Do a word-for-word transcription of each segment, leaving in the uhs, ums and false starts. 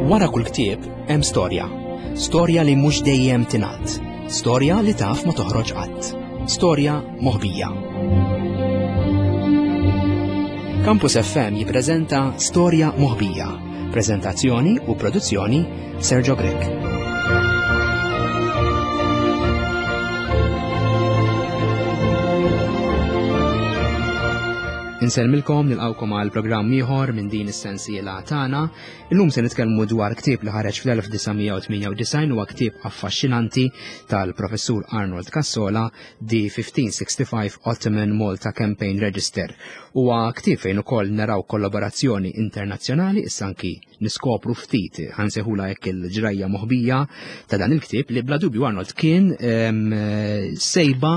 Wara kull ktieb hemm storja. Storja li mhux dejjem tingħad. Storja li taf ma toħroġ qatt. Storja moħbija. Campus F M jippreżenta Storja Moħbija. Preżentazzjoni u produzzjoni Sergio Grech. Insellmilkom, nilqawkom għal programm ieħor minn din is-sensiela tagħna. Illum se nitkellmu dwar ktieb li ħareġ fl-elf disa' mija u tmienja u disgħin, huwa ktieb affaxxinanti tal-Professur Arnold Cassola, The fifteen sixty-five Ottoman Malta Campaign Register. Huwa ktieb fejn ukoll naraw kollaborazzjoni internazzjonali, issa anki niskopru ftit ħansejħulha hekk il-ġrajja moħbija ta' dan il-ktieb li bla dubju Arnold kien, ehm, sejba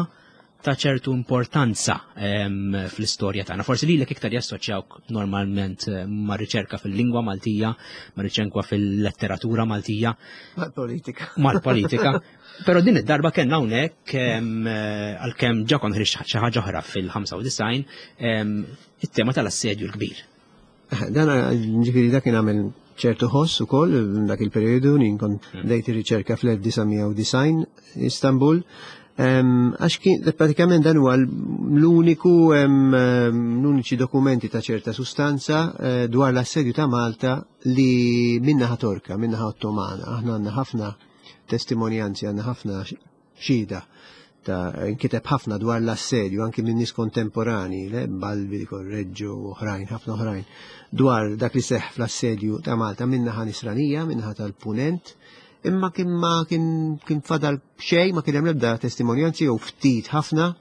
ta' ċertu importanza, ehm, fl-istorja tagħna. Forsi lilek iktar jassoċjawk normalment, eh, ma' riċerka fil-lingwa Maltija, ma' riċerka fil-letteratura Maltija. Mal-politika. Mal-politika. Però din id-darba kellna hawnhekk, ehm, għalkemm ġa kont ħriġt xi ħaġa oħra fil-ħamsa u disgħin, ehm, it-tema tal-assedju l-kbir. Eh, dan ġifieri dak kien għamel ċertu ħoss ukoll dak il-perjodu, jien kont Hmm. bdejt ir-riċerka fl-elf disa' mija u disgħin Istanbul. Em, għax kien, pratikament dan huwa l-uniku, em, l-uniċi dokumenti ta' ċerta sustanza, eh, dwar l-assedju ta' Malta li minnaħa Torka, minnaħa Ottomana. Aħna għandna ħafna testimonjanzi, għandna ħafna xhieda ta' inkiteb ħafna dwar l-assedju anki minn nies kontemporani, le, Balbi, Correggio u oħrajn, ħafna oħrajn, dwar dak li seħħ fl-assedju ta' Malta minnaħa Nisranija, minnaħa tal-Punent. Imma kien ma kien, kien fadal xejn, ma kien hemm l-ebda testimonjanzi jew ftit ħafna,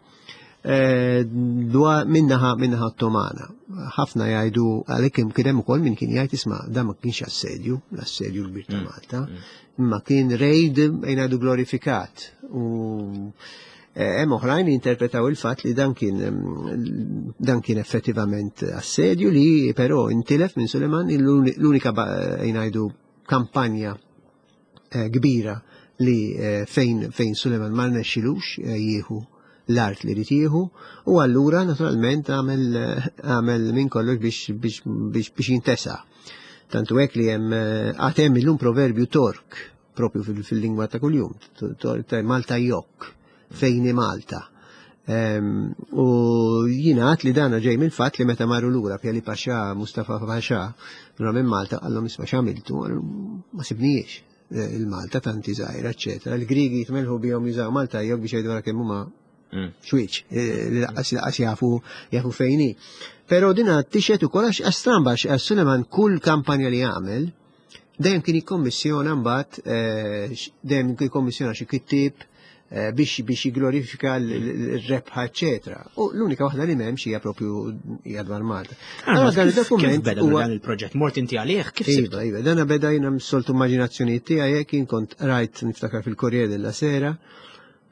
eh, dwar minnaħa, minnaħa Ottomana. Ħafna jgħidu għalhekk kien, kien hemm ukoll min kien jgħid isma' dan ma kienx assedju, l-assedju l-kbir ta' Mm. Malta, Mm. imma kien rejd jgħidu glorifikat. U, eh, hemm oħrajn li interpretaw il-fatt li dan kien, mm, dan kien effettivament assedju li però intilef minn Suleiman, l-uni-, l-unika ba-, jgħidu kampanja, eh, kbira li, eh, fejn, fejn Suleiman ma rnexxilux, eh, jieħu l-art li rid jieħu, u allura naturalment għamel, eh, għamel minn kollox biex, biex, biex, biex jintesa. Tantu hekk li hemm, eh, għad hemm illum proverbju Tork propju fil-, fil-lingwa ta' kuljum, t-, t-, ta' Malta jokk, fejn hi Malta. Ehm, u jingħad li dana ġej mill-fatt li meta marru lura Pjali Paxà, Mustafa Paxà, lura minn Malta, qallhom isma' x'għamiltu, qalhom ma sibniex il-Malta tanti żgħira, eċċetera. Il-Grigi jitmelħu bihom jużaw Malta jokk biex jgħidu wara kemm huma Mm. xwieċ, eh, li laqqas, laqqas jafu, jafu fejn hi. Però din tixet ukoll għax, għax stramba, għax, għax Suleiman kull kampanja li għamel dejjem kien jikkommissjona mbagħad, eh, x-, dejjem kien jikkommissjona xi kittieb, eh, biex, biex jiglorifika l-, l-, l-rebħa, eċċetera. U l-unika waħda li m'hemmx hija propju hija dwar Malta. Ah, Allora, dan kif- il-dokument kif beda huwa dan il-proġett? Mort inti għalih? Kif Iva, sibtu? iva, dan beda jiena mis-soltu immaġinazzjoni tiegħi, jekk jien kont rajt niftakar fil-Corriere della Sera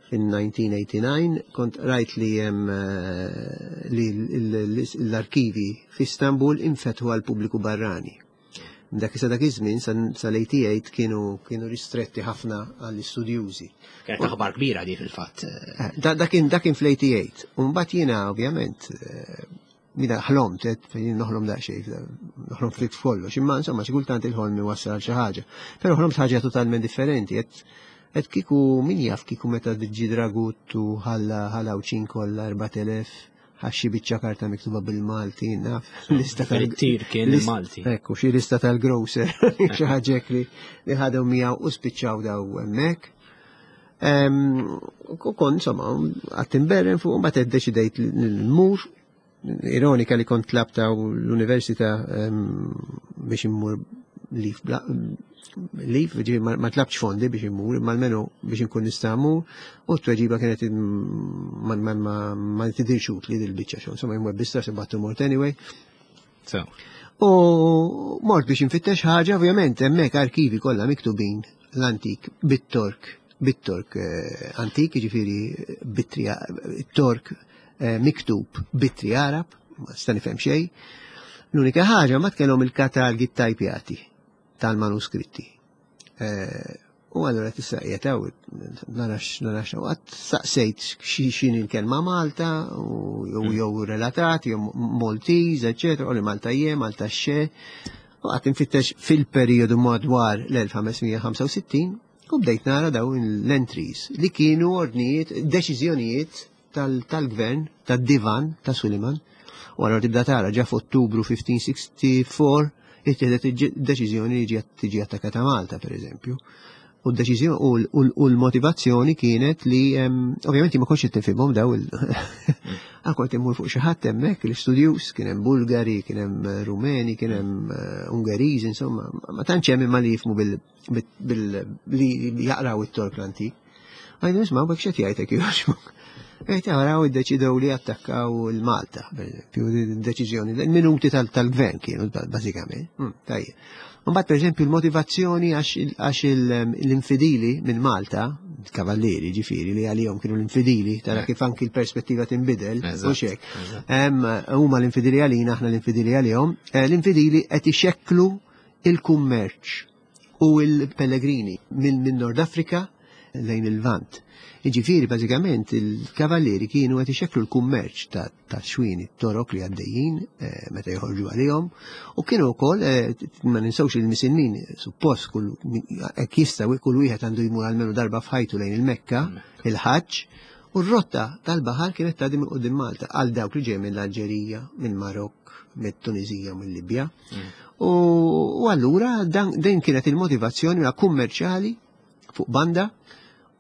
fin nineteen eighty-nine, kont rajt li hemm, eh, li l-, l-, l-, l-arkivi f'Istanbul infetħu għal pubbliku barrani. Dak issa dak iż-żmien sal-eighty-eight kienu, kienu ristretti ħafna għall-istudjużi. Kienet aħbar kbira di fil-fatt. Eh, da-, da kien, da kien fl-eighty-eight. U mbagħad jiena ovvjament, eh, jiena ħlomt, eh, jien noħlom daqsxejn, noħlom ftit f'kollox, imma insomma xi kultant il-ħolm iwassal xi ħaġa. Però ħlomt ħaġa totalment differenti, qed, qed kieku min jaf kieku meta ġi Dragut u ħalla, ħalla Għawdxin kollha erbat elef, ħaxxi biċċa karta miktuba bil-Malti, naf, lista tal- Fil-tir kien list- il-Malti. Ekku, xi lista tal-grocer, xi ħaġa hekk li, li ħadew miegħu u spiċċaw daw hemmhekk. Ehm, u kont, insomma, qatt imberren fuq, mbagħad iddeċidejt li nmur. Ironika li kont tlabt l-università, ehm, biex immur lif bla, lif, ġifieri ma, ma tlabx fondi biex immur, imma almenu biex inkun nista' mmur, u t-tweġiba kienet ma, ma, ma, ma tidirx utli dil-biċċa xogħol, insomma jmur bista se battu mort anyway. So. U mort biex infittex ħaġa, ovvjament hemmhekk arkivi kollha miktubin l-antik bit-Tork, bit-Tork, eh, antik, jiġifieri bit-tri, tork, eh, miktub bit-tri Arab, ma sta nifhem xejn. L-unika ħaġa ma kellhom il-katalgi ttajpjati tal-manuskritti. Eh, u allura tista' qiegħed hawn, narax, narax hawn, qatt saqsejt xi, x'inhi l-kelma Malta, u jew Mm. jew relatati, jew Maltese, eċċetera, u li Malta jie, Malta xe. U qgħadt infittex fil-periodu madwar l-elf ħames mija ħamsa u sittin u bdejt nara dawn l-entries li kienu ordnijiet, deċiżjonijiet tal-gvern, tad-divan ta' Suleiman. U għallura tibda tara ġa f'Ottubru elf ħames mija sitta u sittin ittieħdet deċiżjoni li ġiet tiġi attakata Malta, per eżempju. U d-deċiżjoni u l-motivazzjoni kienet li ovvjament ma kontx tifhimhom daw il kont immur fuq xi ħadd hemmhekk l-istudjus, kien hemm Bulgari, kien hemm Rumeni, kien hemm eh, Ungeriżi, insomma, ma tantx hemm imma li jifhmu bil li jaqraw it-Tork l-antik. Għajdu, "Isma', bek xet jgħajtek joġbok?" Għajt, "Għaraw, iddeċidew li attakkaw il-Malta, per eżempju, deċiżjoni, il-minuti tal-gvern kienu, bażikament." Hmm, tajjeb. Mbagħad, per eżempju, l-motivazzjoni għax l-infidili minn Malta, kavallieri ġifieri li għalihom kienu l-infidili, tara kif anki l-perspettiva tinbidel, u hekk. Huma l-infidili għalina, aħna l-infidili għalihom, eh, l-infidili qed ixekklu il-kummerċ u il-pellegrini minn Nord Afrika lejn il-Lvant. Iġifieri, bażikament, il-kavallieri kienu qed ixekklu l-kummerċ ta' xwini Torok li għaddejjin eh, meta joħorġu għalihom u kienu wkoll eh, ma ninsewx il-Misilmin suppost kull hekk jistgħu kull wieħed għandu jmur almenu darba f'ħajtu lejn il-Mekka, il-Ħaġġ, u r-rotta tal-baħar kienet tgħaddi minn quddiem Malta għal dawk li ġej mill-Alġerija, mill-Marokk, mit-Tunizija u mill-Libja. Mm. U allura din kienet il-motivazzjoni kummerċjali fuq banda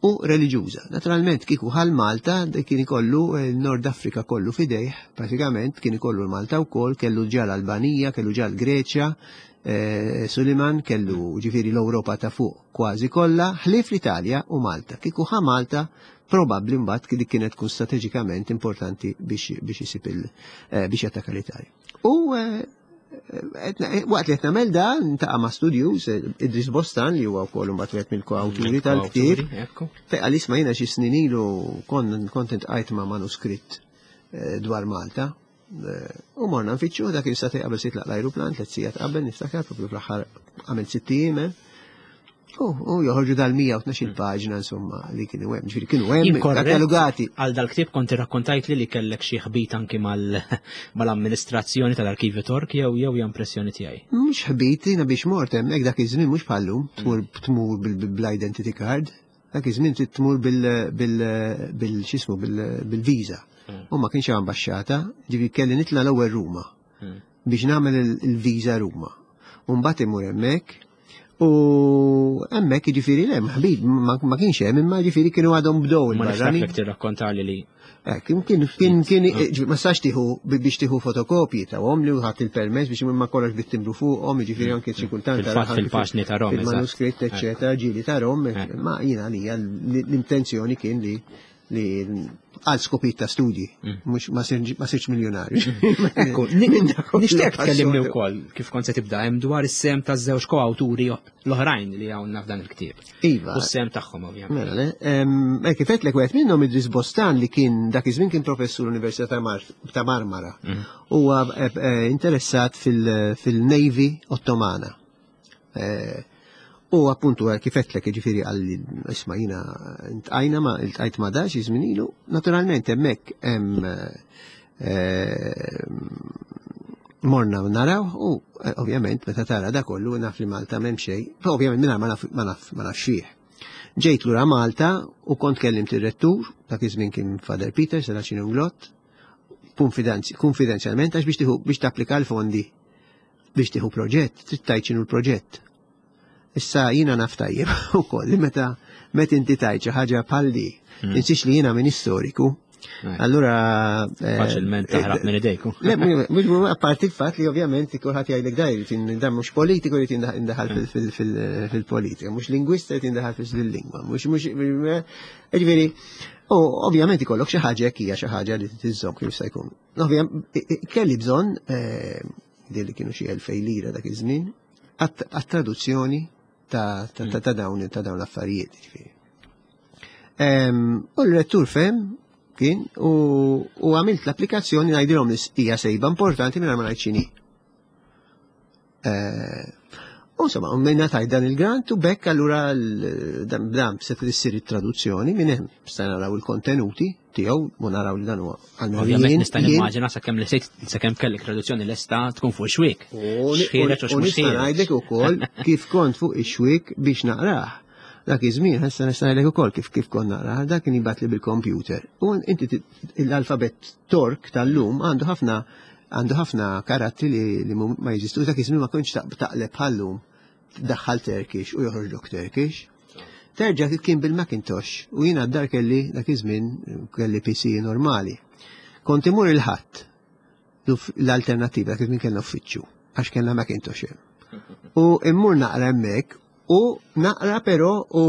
u reliġjuża. Naturalment, kieku ħa l-Malta, kien ikollu il-Nord Afrika kollu f'idejh, pratikament kien ikollu l-Malta wkoll, kellu ġa l-Albanija, kellu ġa l-Greċja, eh, Suliman kellu ġifieri l-Ewropa ta' fuq kważi kollha, ħlief l-Italja u Malta. Kieku ħa Malta, probabbli mbagħad dik kienet tkun strateġikament importanti biex biex isib il eh, biex jattakka l-Italja. U eh, waqt li qed nagħmel dan, niltaqa' ma' studjus, Idris Bostan, li huwa wkoll imbagħad wieħed mill-koawturi tal-ktieb. Fejn qal, "Isma', jiena xi snin ilu kont iltqajt ma' manuskritt eh, dwar Malta." Eh, u morna nfittxu, dak kien sagħtejn qabel se jitlaq l-ajruplan, tliet sigħat qabel, niftakar, propju fl-aħħar għamel sitt ijiem. U u joħorġu dal-mija u tnax-il paġna, insomma, li kienu hemm, ġifieri kienu hemm katalogati. Għal dal-ktieb kont irrakkontajt li li kellek xi ħbit anki mal-amministrazzjoni tal-Arkivju Tork jew jew hija impressjoni tiegħi? Mhux ħbit, jiena biex mort hemmhekk dak iż-żmien mhux bħallum, tmur tmur bil-identity card. Dak iż-żmien trid tmur bil bil bil x'ismu bil-visa. Mm. U ma kienx hemm ambaxxata, ġifieri kelli nitla' l-ewwel Ruma mm. biex nagħmel il-visa Ruma. U mbagħad imur hemmhekk. U hemmhekk, ġifieri, le, ħbib ma kienx hemm, imma ġifieri kienu għadhom bdew il. Ma niftakrek tirrakkontali li. Kien kien kien kien ma sax tieħu biex tieħu fotokopji tawhom li ħadd il-permess biex ma kollox bit-timbru fuqhom, ġifieri anke xi kultant Fil-fatt fil-paġni ta' Rom. Il-manuskritt, eċċetera, ġieli ta' Rom, ma jiena għalija l-intenzjoni kien li li għal skopijiet ta' studji, mm. mhux ma sirx miljonarju. Ekku, nixtieq tkellimni wkoll kif kont se tibda hemm dwar is-sehem taż-żewġ koawturi l-oħrajn li hawn f'dan il-ktieb. Iva. U s-sehem tagħhom, ovvjament. Mela, le, kif għedtlek, wieħed minnhom, Idris Bostan, li kien dak iż-żmien kien professur l-Università ta' Marmara. Mm. Huwa eh, eh, interessat fil-Navy Ottomana. Eh, U appuntu kif għedtlek, ġifieri qalli, "Isma', jiena iltqajna ma iltqajt ma dax żmien ilu." Naturalment hemmhekk hemm eh, morna naraw u eh, ovvjament meta tara da kollu naf li Malta m'hemm xejn, ovvjament mingħajr ma naf ma naf ma naf xih. Ġejt lura Malta u kont kellimt ir-rettur, dak iż-żmien kien Father Peter Serracino Inglott, konfidenzjalment, għax biex tieħu biex tapplika l-fondi biex tieħu proġett, trid tgħid x'inhu l-proġett. Issa jiena naf tajjeb ukoll li meta meta inti tgħid xi ħaġa bħal di, hmm. tinsiex li jiena minn istoriku. Allura eh, faċilment taħrab minn idejku. Le, mhux apparti il-fatt li ovvjament kulħadd jgħidlek da jrid dan mhux politiku jrid indaħal fil-politika, mhux lingwista jrid indaħal fil-lingwa, mhux mhux ġifieri, u ovvjament ikollok xi ħaġa hekk hija xi ħaġa li tiżżomm kif se jkun. Ovvjament kelli bżonn eh, li kienu xi elfej lira dak iż-żmien għat-traduzzjoni ta' ta' dawn ta' dawn l-affarijiet. Ġifieri. U l-rettur fehem kien u għamilt l-applikazzjoni ngħidilhom li hija sejba importanti minn ma ngħid x'inhi. Eh, u insomma, minna tajt dan il-grant u bekk allura dan se tissir it-traduzzjoni minn hemm stajna naraw il-kontenuti. tiegħu u naraw li dan huwa. Ovvjament nista' nimmaġina sakemm li sejt sakemm kellek traduzzjoni lesta tkun fuq xwiek. U nista' ngħidlek ukoll kif kont fuq ix-xwiek biex naqrah. Dak iż-żmien issa nista' ngħidlek ukoll kif kif kont naqrah, dak kien jibgħatli bil-computer. U inti l-alfabet Tork tal-lum għandu ħafna għandu ħafna karattri li ma jeżistu, dak iż-żmien ma kontx taqleb bħallum daħħal Turkish u joħroġlok Turkish. Terġa' kien bil-Macintosh u jiena d-dar kelli dak iż-żmien kelli P C normali. Kont imur il-Ħadd l-alternativa, dak iż-żmien kellna uffiċċju għax kellna Macintosh hemm. U immur naqra hemmhekk u naqra però u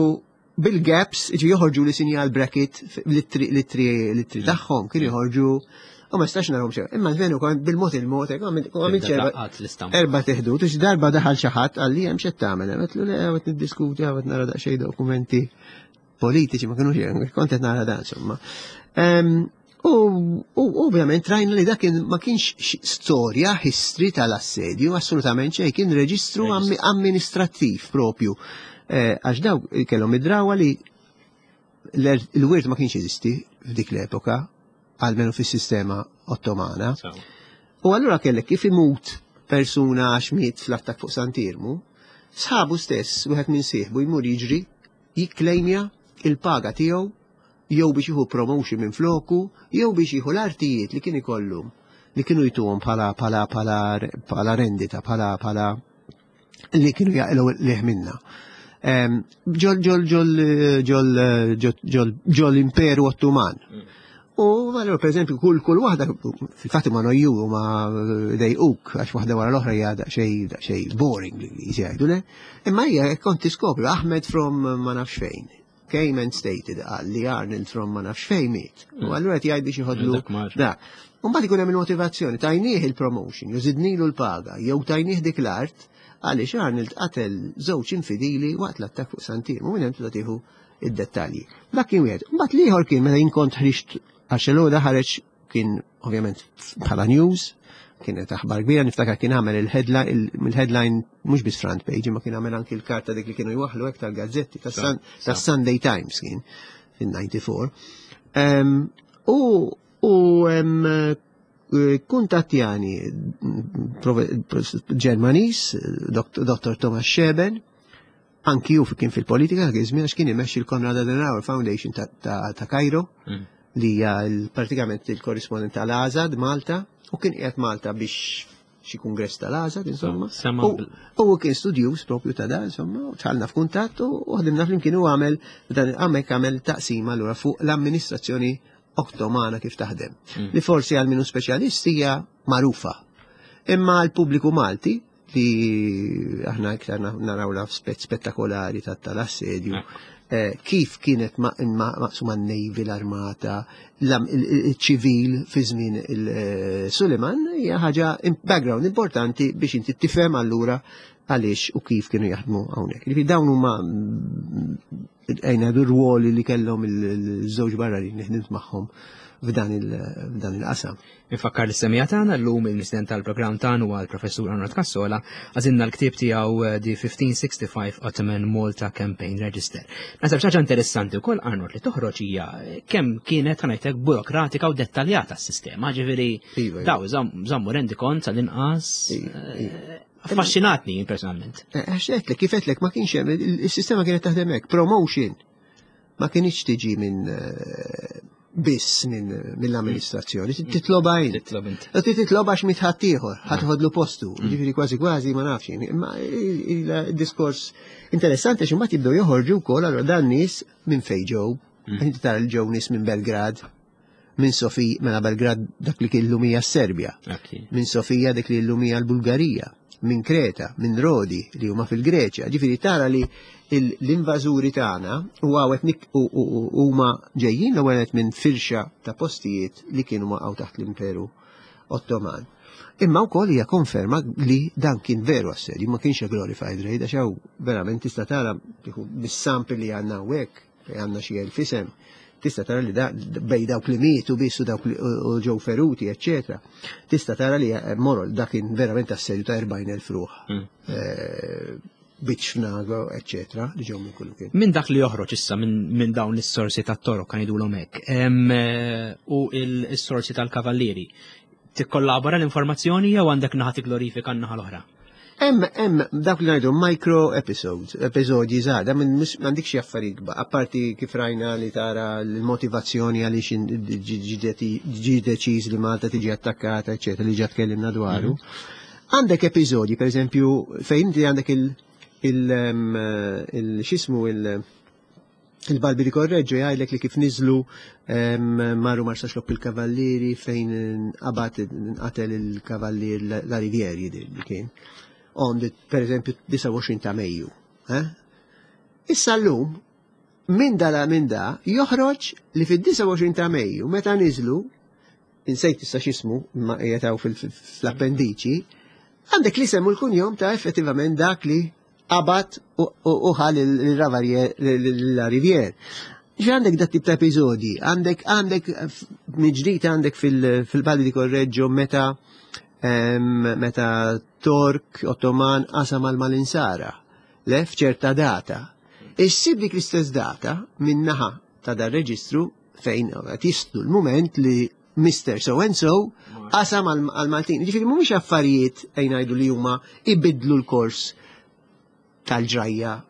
bil-gaps ġi joħorġu li sinjal bracket l-ittri tagħhom kien joħorġu u ma stax narhom xejn. Imma veru kont bil-mod il-mod, għamilt erba' teħdut, u darba daħal xi ħadd qalli, "Hemm x'qed tagħmel?" Għedtlu, "Le, qed niddiskuti, qed nara daqsxejn dokumenti politiċi." Ma kinux, kont qed nara dan insomma. U ovvjament rajna li dak ma kienx storja, history tal-assedju, assolutament xejn, kien reġistru amministrattiv propju. Eh, għax daw kellhom id-drawa li l-wirt ma kienx jeżisti f'dik l-epoka, almenu fis-sistema Ottomana. U allura kellek kif imut persuna għax miet fl-attak fuq Sant'Iermu, sħabu stess, wieħed minn sieħbu jmur jiġri jikklejmja il-paga tiegħu jew biex jieħu promotion minn floku, jew biex jieħu l-artijiet li kien ikollu li kienu jtuhom bħala bħala bħala bħala rendita, bħala bħala li kienu jaqilgħu liħ minna. Ġol ġol ġol ġol ġol ġol imperu Ottoman. U allura, per eżempju, kull kull waħda, fil-fatt ma nojju ma dejquk, għax waħda wara l-oħra hija daqsxejn daqsxejn boring li jgħidu le. Imma hija kont tiskopri Ahmed from ma nafx fejn came and stated, qal li Arnold from ma nafx fejn miet. U allura qed jgħid biex jħodlu. Da. U mbagħad ikun hemm il-motivazzjoni, tajnieh il-promotion, jew żidnilu l-paga, jew tajnieh dik l-art għaliex Arnold qatel żewġ infidili waqt l-attak fuq Sant'Iermu, minn hemm tibda tieħu id-dettalji. Dak kien wieħed. Mbagħad l-ieħor kien meta jien kont ħriġt, għax l ħareġ kien ovvjament bħala news, kienet aħbar kbira, niftakar kien għamel il-headline mhux biss front page, ma kien għamel anki l-karta dik li kienu jwaħlu hekk tal-gazzetti tas-Sunday Times kien fin-disgħa u disgħin. U u kuntattjani Ġermanis, Dottor Thomas Scheben, anki ju kien fil-politika, kien għax kien imexxi l-Konrad Adenauer Foundation ta' Cairo, mm. li hija pratikament il-korrispondent tal-Azad Malta, u kien qiegħed Malta biex xi kongress tal-Azad, insomma. U kien studjuż propju ta' da, insomma, u dħalna f'kuntatt u ħdimna flimkien u għamel dan għamek għamel taqsima allura fuq l-amministrazzjoni Ottomana kif taħdem. Mm. Li forsi għal minu speċjalisti hija magħrufa. Imma l-pubbliku Malti li aħna iktar naraw la spettakolari tal-assedju, eh, kif kienet maqsuma n-navy, l-armata, il-ċivil fi żmien il-Suleiman, hija ħaġa background importanti biex inti tifhem allura għaliex u kif kienu jaħdmu hawnhekk. Ġifieri dawn huma ejna r-ruoli li kellhom il-żewġ barranin li ħdimt magħhom f'dan il-qasam. Infakkar lis-semmiegħa tagħna, llum il-mistieden tal-programm tagħna huwa l-Professur Arnold Cassola, għażilna l-ktieb tiegħu eh, The fifteen sixty-five Ottoman Malta Campaign Register. Naħseb xi ħaġa interessanti wkoll, Arnold, li toħroġ hija kemm kienet ħanajtek burokratika u dettaljata s-sistema, ġifieri iva, iva. daw żammu rendikont sal-inqas. Iva, eh, Affaxxinatni personalment. Eh, għax għedtlek, kif għedtlek, ma kienx hemm, il-sistema kienet taħdem hekk, promotion ma kienx tiġi minn biss minn mill-amministrazzjoni, titloba int. Titlob int. Titloba għax miet ħaddieħor, ħa teħodlu postu, mm. ġifieri kważi kważi ma nafx. Imma il-diskors interessanti għax imbagħad jibdew joħorġu wkoll allura dan nies minn fejn ġew. Mm. Inti tara l ġew nies minn Belgrad, minn Sofija, mela Belgrad dak li kien llum hija Serbja, minn Sofija dik li llum hija l-Bulgarija, minn Kreta, minn Rodi li huma fil-Greċja. Ġifieri tara li l-invażuri tagħna u għawet huma ġejjin l-ewwel minn firxa ta' postijiet li kienu maqgħu taħt l-Imperu Ottoman. Imma wkoll hija konferma li dan kien veru assedju, ma kienx glorified raid, għax hawn verament tista' tara bis-sample li għandna hawnhekk, fejn għandna xi elf isem, tista' tara li da bej dawk li mietu biss u dawk li u ġew feruti, eċċetera. Tista' tara li eh, morol dak kien verament assedju ta' erbgħin elf ruħ. Mm. Eh, Biċ Fnago, eccetera, li ġew minn kullimkien. Minn dak li joħroġ issa minn dawn is-sorsi tat-Torok kan jgħidulhom hekk, u s-sorsi tal-Kavallieri, tikkollabora l-informazzjoni jew għandek naħa glorifika n-naħa l-oħra? Hemm hemm dak li ngħidu micro episodes, episodji żgħar, da minn m'għandikx xi affarijiet kbar, apparti kif rajna li tara l-motivazzjoni għaliex ġi deċiż li Malta tiġi attakkata, eċetera, li ġa tkellimna dwaru. Għandek episodji, per eżempju, fejn inti għandek il- il il x'ismu il il-Balbi di Correggio jgħidlek li kif niżlu marru Marsaxlokk il-Kavallieri fejn qabad qatel il-Kavallier La Rivière jidher li kien. On the, per eżempju, disgħa u għoxrin ta' Mejju. Issa llum, minn da minn da, joħroġ li fid-disgħa u għoxrin ta' Mejju, meta niżlu, insejt issa x'ismu, ma jetaw fl-appendiċi, għandek li semmu l-kunjom ta' effettivament dak li qabad u ħal il-La Rivière. Ġi għandek dat tip ta' episodi, għandek għandek miġdijt għandek fil-Balbi di Correggio meta meta Tork Ottoman qasam għal mal-Insara, le f'ċerta data. Issib dik l-istess data min-naħa ta' dar reġistru fejn qed jistlu l-moment li Mister So and So qasam għal-Maltin. Ġifieri mhumiex affarijiet ejn ngħidu li huma ibidlu l-kors tal-ġrajja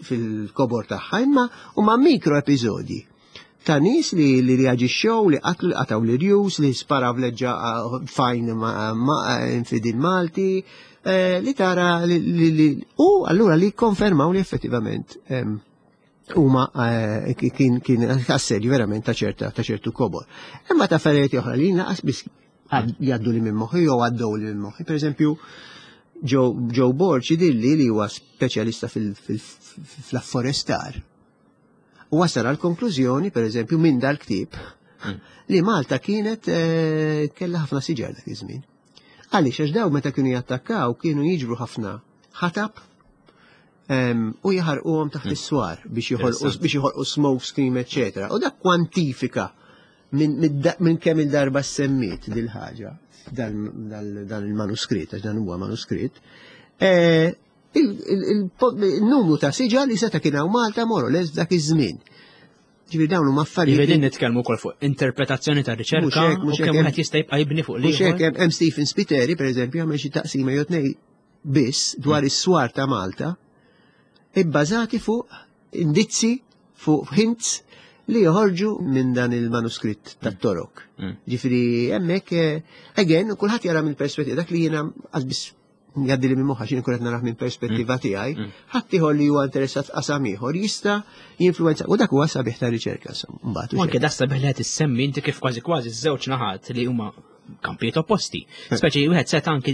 fil-kobor tagħha, imma huma mikro episodji ta' nies li li reaġixxew, li qatlu, li qataw l-irjus, li sparaw leġġa fajn ma' infidil Malti, li tara li u allura li konfermaw li effettivament huma kien kien assedju verament ta' ċerta ta' ċertu kobor. Imma ta' affarijiet oħra li naqas biss jgħaddu li minn moħħi jew għaddew li minn moħħi. Per eżempju, Joe Borg jidhirli li huwa speċjalista fil-afforestar. U wasal għal konklużjoni, per eżempju, minn dal-ktieb, li Malta kienet kellha ħafna siġar dak iż-żmien. Għaliex għax daw meta kienu jattakkaw kienu jiġbru ħafna ħatab u jaħarquhom taħt is-swar biex joħolqu biex joħolqu smoke screen, eċetera. U dak kwantifika minn kemm il-darba semmiet dil-ħaġa dan il-manuskritt, għax dan huwa manuskritt, il-numru ta' siġar li seta' kien hawn Malta more or less dak iż-żmien. Ġifieri dawn huma affarijiet. Ġifieri nitkellmu wkoll fuq interpretazzjoni ta' riċerka u kemm wieħed jista' jibqa' jibni fuq li. Mhux hekk, hemm Stephen Spiteri, pereżempju, għamel xi taqsima jew tnejn biss dwar is-swar ta' Malta, ibbażati fuq indizzi, fuq hints li joħorġu minn dan il-manuskritt tat-Torok. Ġifieri hemmhekk, again, kulħadd jara mill perspettiva dak li jiena biss jgħaddi li minn moħħa x'in kunet narah minn perspettiva tiegħi, ħadd ieħor li huwa interessat f'qasam ieħor jista' jinfluwenza u dak huwa sabiħ ta' riċerka mbagħad. U anke da sabiħ li qed issemmi inti kif kważi kważi ż-żewġ naħat li huma kampijiet opposti. Speċi wieħed seta' anke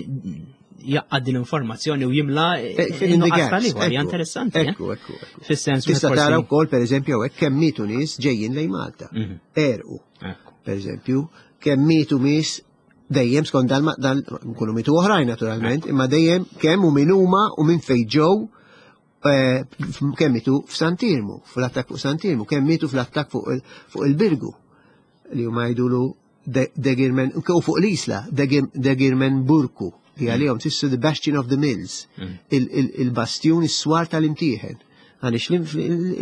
jaqgħad din l-informazzjoni u jimla in-nuqqas tal-ieħor, hija interessanti. Ekku, ekku, ekku. Fis-sens Tista' tara wkoll pereżempju hekk kemm mietu nies ġejjin lejn Malta. Erqu. Per eżempju, kemm mietu nies dejjem skont dal dal nkunu mitu oħrajn naturalment, imma dejjem kemm u min huma u minn fejn ġew, kemm mitu f'Sant'Iermu, fl-attakk fuq Sant'Iermu, kemm mitu fl-attakk fuq il-Birgu li huma jgħidulu Degirmen, u fuq l-Isla, Degirmen Burku, li għalihom tissu the Bastion of the Mills, il-bastjun is-swar tal-imtieħen. Għaliex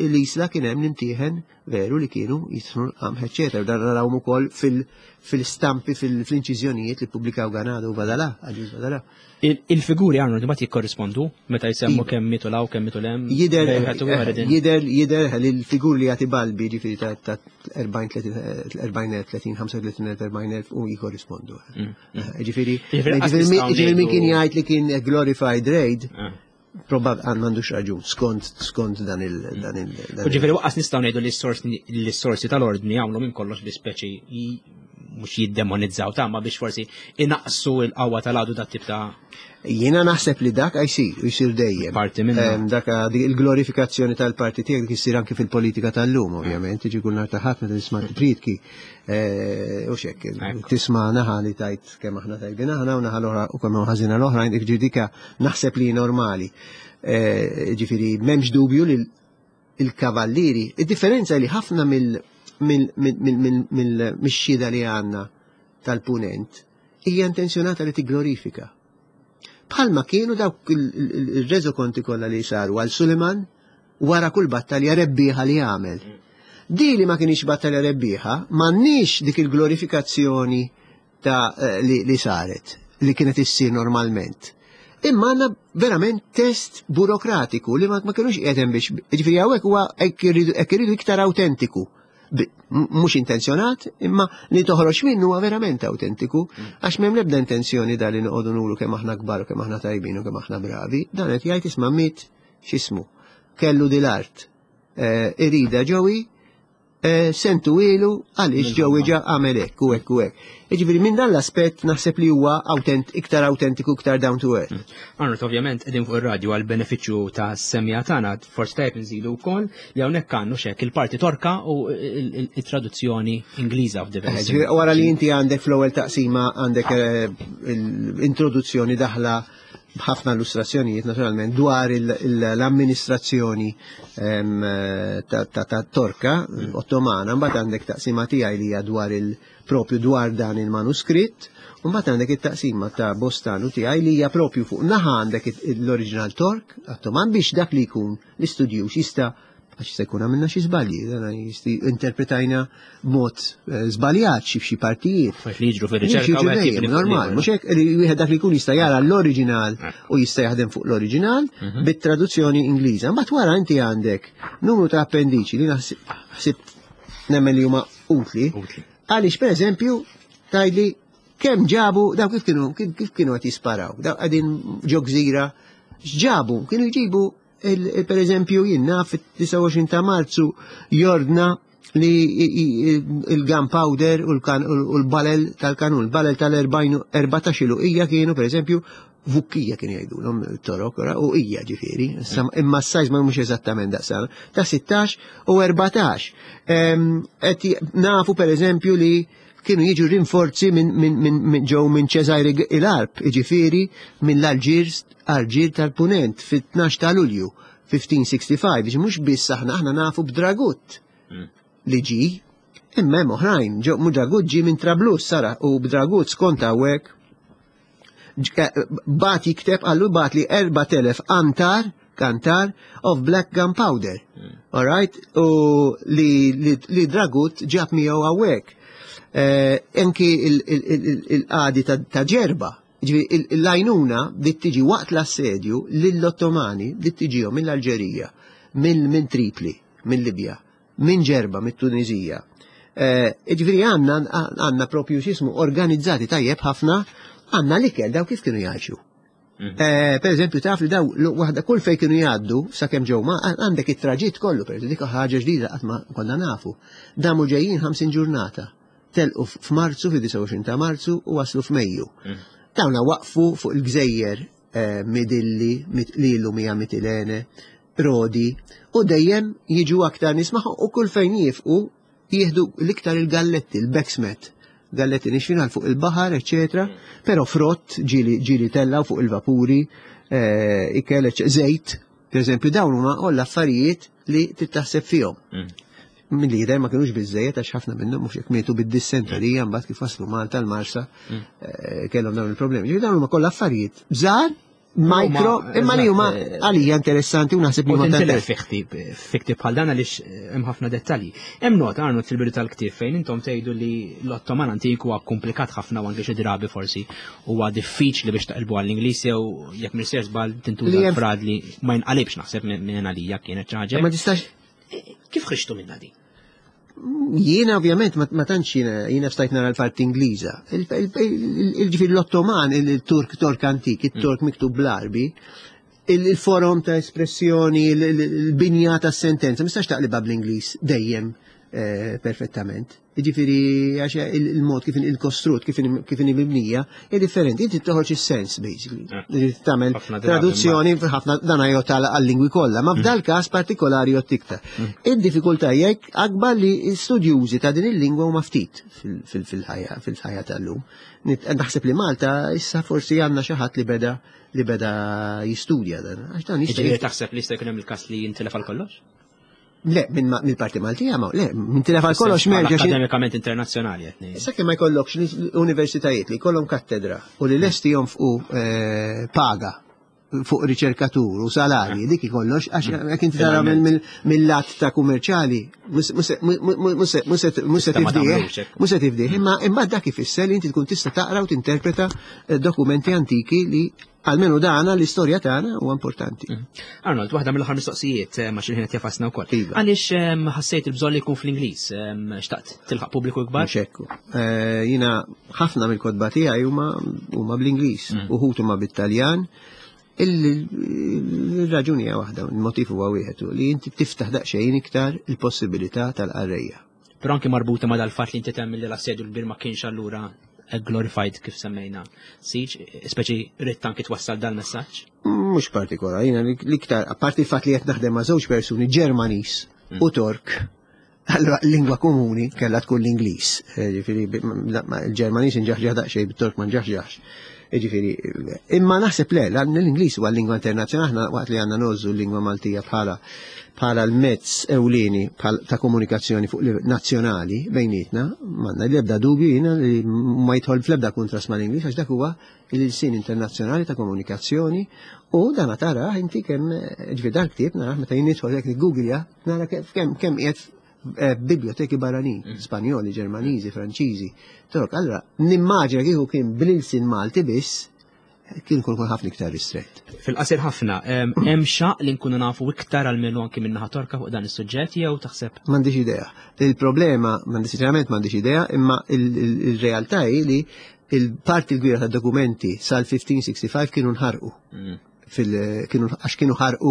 l-Isla kien hemm l-imtieħen veru li kienu jitħnu l-qamħ, eċetera. Dan narawhom ukoll fil-stampi, fil-inċiżjonijiet li pubblikaw Ganado u Vadalà, Agius Vadalà. Il-figuri għandu mbagħad jikkorrispondu meta jsemmu kemm mitu law, kemm mitu lem. Jider, jider, jider li l-figuri li jagħti Balbi ġifieri ta' erbgħin, tletin, ħamsa u tletin, erbgħin elf u jikorrispondu. Ġifieri, ġifieri min kien jgħid li kien glorified raid, probab għandux raġun, skont skont dan il dan il U ġifieri waqqas nistgħu ngħidu li s-sorsi tal-ordni għamlu minn kollox bi speċi mhux jiddemonizzaw ta' ma biex forsi inaqsu l-qawwa tal-għadu dat tip ta' Jiena naħseb li dak jsir, u jsir dejjem. Parti minnu. Dak il-glorifikazzjoni tal-parti tiegħek issir anke fil-politika tal-lum, ovvjament, tiġi kull nhar ta' ħadd meta tisma' pritki u xek, tisma' naħa li tajt kemm aħna tajbin aħna u naħa l-oħra u kemm ħażina l-oħra, ġifieri dika naħseb li normali. Ġifieri m'hemmx dubju li il-kavallieri, id-differenza li ħafna mill-xhieda li għandna tal-punent hija intenzjonata li tigglorifika. Bħalma kienu dawk il-reżokonti kollha li saru għal Suleiman wara kull battalja rebbieħa li għamel. Di li ma kienx battalja rebbieħa, m'għandniex dik il-glorifikazzjoni ta' eh, li, li saret, li kienet issir normalment. Imma għandna verament test burokratiku li ma, ma kienux qiegħed biex, ġifieri hawnhekk huwa hekk iridu hekk iridu iktar autentiku. Bi- m- Mhux intenzjonat, imma li toħroġ minnu huwa verament autentiku, għax m'hemm l-ebda intenzjoni da li noqogħdu nuru kemm aħna kbar u kemm aħna tajbin u kemm aħna bravi. Dan qed jgħid isma' miet x'ismu. Kellu dil-art. Eh, Irida Joey, eh, sentu ilu għaliex Joey ġa għamel hekk u hekk u hekk. Jiġifieri minn dan l-aspett naħseb li huwa autent, iktar autentiku, iktar down to earth. Arnold, ovvjament, qegħdin fuq ir-radju għal benefiċċju ta' semmiegħa tagħna, forsi tajjeb nżidu wkoll li hawnhekk għandu xek il-parti Torka u il-traduzzjoni Ingliża f'diversi. Ġifieri, wara li inti għandek fl-ewwel taqsima għandek eh, l-introduzzjoni daħla b'ħafna illustrazzjonijiet naturalment dwar il- il- l-amministrazzjoni em, eh, ta' ta' ta' Torka Ottomana, mbagħad għandek taqsima tiegħi li hija dwar il propju dwar dan il-manuskritt, u mbagħad għandek it-taqsima ta' Bostanu tiegħi li hija propju fuq naħa għandek l-oriġinal Tork Ottoman biex dak li jkun l-istudjuż jista' għax se jkun għamilna xi żbalji, dan jisti interpretajna b'mod eh, żbaljat xi f'xi partijiet. Affarijiet li jiġru fir-riċerka u hekk jibni fuq Normal, l-ieħor. mhux hekk li wieħed dak li jkun jista' jara l-oriġinal u jista' jaħdem fuq l-oriġinal bit-traduzzjoni Ingliża. Mbagħad wara inti għandek numru ta' appendiċi li naħsib ħsibt nemmen li huma utli. Utli. Għaliex pereżempju tgħidli kemm ġabu daw kif kienu kif kif kienu qed jisparaw, daw qegħdin ġo gżira, x'ġabu? Kienu jġibu il- il- per eżempju jien naf fit-disgħa u għoxrin ta' Marzu jordna li i- i- il-gunpowder u l-kan- u l-balel tal-kanun, il-balel tal-erbatax hija kienu per eżempju vukkija kienu jgħidulhom torok, ora, u hija ġifieri, issa- imma s-size ma mhux eżattament daqsana, ta' sittax u erbatax. Em, qed j- Nafu per eżempju li kienu jiġu rinforzi minn min, min, min ġew minn Ċesari il-Arp, jiġifieri minn l-Alġir Alġir tal-Punent fit-tnax ta' Lulju fil-ħmistax sitta u ħamsin, biex mhux biss aħna aħna nafu b'Dragut li ġi, imma hemm oħrajn, ġew mhu Dragut ġi minn Trablus sara u b'Dragut skont hawnhekk bat jikteb għallu bat li erbat elef antar, kantar of black gunpowder. All right? U li, li, li Dragut ġab miegħu hawnhekk. Eh, Anki il-qadi ta' ta' Ġerba, ġifieri il- il-lajnuna bdiet tiġi waqt l-assedju lill-Ottomani bdiet tiġihom mill-Alġerija, minn minn Tripli, minn Libja, minn Ġerba, mit-Tunizija. Eh, Ġifieri għandna għandna propju xismu organizzati tajjeb ħafna, għandna l-ikel daw kif kienu jgħixu. Eh, per eżempju, taf li daw l- waħda kull fej kienu jgħaddu, sakemm ġew ma għandek it-traġitt kollu, per eżempju, dik ħaġa ġdida qatt ma konna nafu. Damu ġejjin ħamsin ġurnata. Telqu f'Marzu, fi disgħa u għoxrin ta' Marzu u waslu f'Mejju. Dawna waqfu fuq il-gżejjer eh, Midilli, mit- li llum hija Mitilene, Rodi, u dejjem jiġu aktar nies magħhom u kull fejn jifqu jieħdu l-iktar il-galletti, il-beksmet. Galletti nixfin għal fuq il-baħar, eccetera, pero frott ġili ġili tellaw fuq il-vapuri, eh, ikel, ecc- żejt, per eżempju, dawn huma kollha affarijiet li tittaħseb fihom. Min li jidher ma kienux biżejjed għax ħafna minnhom mhux hekk mietu bid-dissenterija mbagħad kif waslu Malta l-Marsa eh, kellhom dawn il-problemi. Ġifieri dawn huma kollha affarijiet żgħar, micro, imma li huma eżatt, eh, għalija interessanti u naħseb li U huma tintilef ta' fi ktib, fi ktib bħal dan għaliex eh, hemm ħafna dettalji. Hemm nota Arnold fil-bidu tal-ktieb fejn intom tgħidu li l-Ottoman antik huwa komplikat ħafna u anke xi drabi forsi huwa diffiċli biex taqilbu għall-Ingliż jew jekk m'inix żball tintuża Li hemm- frad li ma jinqalibx naħseb minn minn għalija kienet xi ħaġa. Ma tistax Kif ħriġtu minna di? Jiena ovvjament ma ma tantx jiena jiena stajt nara l-parti Ingliża. Il-ġifieri l-Ottoman, il-Turk Tork antik, il-Tork miktub bl-Arbi, il-forom ta' espressjoni, il-binja ta' sentenza, ma tistax taqlibha bl-Ingliż dejjem eh, perfettament. Ġifieri għax il-mod kif il-kostrut, kif kif mibnija, hija differenti. Inti toħroġ is-sens basically. Eh. Tagħmel Ħafna drabi traduzzjoni ħafna dan jgħod għal-lingwi kollha, ma f'dal każ partikolari jgħod iktar. Id-diffikultà jekk akbar li studjużi ta' din il-lingwa huma ftit fil- fil- fil-ħajja fil-ħajja tal-lum. Nit- Naħseb li Malta issa forsi għandna xi ħadd li beda li beda jistudja dan. Għax dan jista' Ġifieri taħseb li jista' jkun hemm il-każ li jintilef għal kollox? Le, minn mill-parti Maltija ma, le, minn tilef għal kollox m'hemmx. Akademikament internazzjonali qed ngħid. Sakemm ma jkollokx universitajiet li jkollhom kattedra u li lesti jonfqu eh, paga fuq riċerkatur u salarji, dik ikollox, għax jekk inti tara mill-lat ta' kummerċjali, mhux se tifdih, mhux se tifdih, imma imma dak ifisser li inti tkun tista' taqra u tinterpreta eh, dokumenti antiki li almenu dana l-istorja tagħna huwa importanti. Mm. Arnold, waħda mill-aħħar mistoqsijiet eh, ma xi ħin qed jafasna wkoll. Iva. Għaliex ehm, ħassejt il-bżonn li jkun fl-Ingliż, ehm, xtaqt tilħaq pubbliku ikbar? Mhux hekk. Eh, jiena ħafna mill-kotba tiegħi huma huma bl-Ingliż, mm. uħud huma bit-Taljan. Il-raġuni hija waħda, il-motiv huwa wieħed li inti tiftaħ daqsxejn iktar il-possibilità tal-qarrejja. Però anki marbuta ma dal-fatt li inti temmen li l-assedju l-kbir ma kienx allura glorified kif semmejna. Siġ, speċi ridt anki twassal dal-messaġġ? Mhux partikolari, jiena l-iktar, apparti il-fatt li qed naħdem ma' żewġ persuni Ġermaniż mm. u Tork, allora l-lingwa komuni kellha tkun l-Ingliż. Eh, ġifieri il-Ġermaniż inġaħġaħ daqsxejn, bit-Tork ma nġaħġaħx. Ġifieri, imma naħseb le, l-Ingliż huwa l-lingwa internazzjonali, aħna waqt li għandna ngħożżu l-lingwa Maltija bħala bħala l-mezz ewlieni ta' komunikazzjoni fuq nazzjonali bejnietna, m'għandna l-ebda dubju jiena li ma jidħol fl-ebda kontrast mal-Ingliż għax dak huwa il-sin internazzjonali ta' komunikazzjoni u dan tara inti kemm ġifieri dal-ktieb nara meta jien nidħol jekk niggooglja nara kemm kemm qiegħed eh, biblioteki barranin, mm. Spanjoli, Ġermaniżi, Franċiżi. Torok, allora nimmaġina kieku kien bl-ilsin Malti biss, kien kun kun ħafna iktar ristrett. Fil-qasir ħafna, hemm xaq li nkunu nafu iktar għal anki minn naħa Torka fuq dan is-suġġett jew taħseb? M'għandix idea. Il-problema, m'għandix sinċerament m'għandix idea, imma il-realtà hi li il-parti l-kbira tad-dokumenti sal-elf u ħmistax ħamsa u ħamsin kienu nħarqu. Mm. Kienu għax kienu ħarqu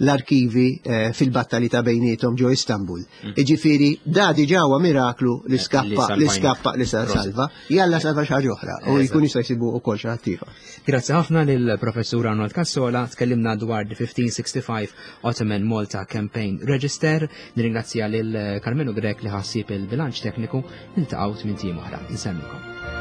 l-arkivi eh, fil-battali ta' bejnietom ġo Istanbul. Mm. Iġifieri, da diġà huwa miraklu li skappa, li skappa, li salva, jalla salva xi ħaġa oħra u jkun jista' jsibu wkoll xi ħadd ieħor. Grazzi ħafna lill-Professur Arnold Cassola, tkellimna dwar the fifteen sixty-five Ottoman Malta Campaign Register. Nirringrazzja lil Carmelo Grech li ħa ħsieb il-bilanċ tekniku. Niltaqgħu tmint ijiem oħra. Insellmilkom.